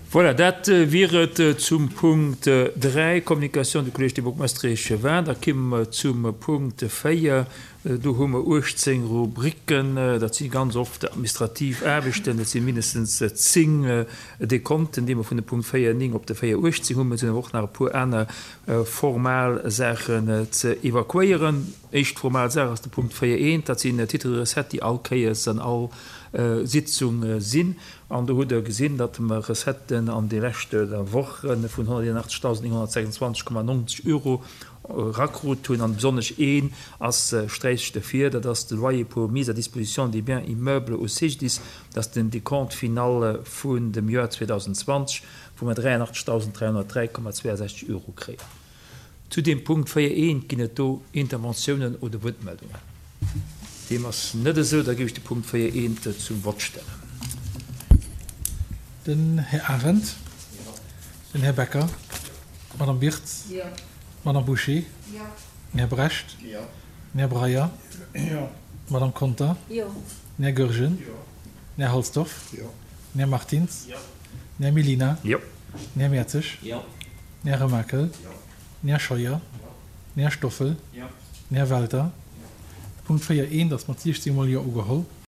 Voilà, dat wier et zum Punkt 3, Communication du Collège des bourgmestres et échevins. Da kimme mer zum Punkt 4. Do hu mer 18 Rubriken. Dat si ganz oft administrativ Aarbechten. Dat si mindestens 10 Dekonten, déi mer vun de Punkt 4, 9 op de 4, 18 hunn. Mä et sinn awer och nach e puer aner formal Saachen ze evakuéieren. Éischt formal Saach ass de Punkt 4, 1. Dat sinn Titres de recettes, déi all Kéiers an all Sitzung sinn. An do hutt Der gesinn, datt mer Recetten an de leschte Woche vun 181.926,90 Euro erakrut hunn. An besonnesch een ass sträicht ervir, dat ass de Loyer pour mise à disposition des biens immeubles au CGDIS. Dat ass den Décompte final vun dem Joer 2020, wou mer 83.303,62 Euro kréien. Zu deem Punkt 4 eent, Ginn et do Interventiounen oder Wuertmeldungen? Deem ass net esou. Da géif ech de Punkt 4 eent zum Vott stellen. Den Här Arendt. Den Här Becker. D'Madame Birtz. D'Madame Bouché. Den Här Brecht. Den Här Breyer. D'Madame Conter. Den Här Goergen. Den Här Halsdorf. Den Här Martins. Den Här Mellina. Den Här Mertzig. Den Här Remakel. Den Här Scheuer. Den Här Stoffel. Den Här Welter. De Punkt 4 eent ass mat 16 mol Jo ugeholl.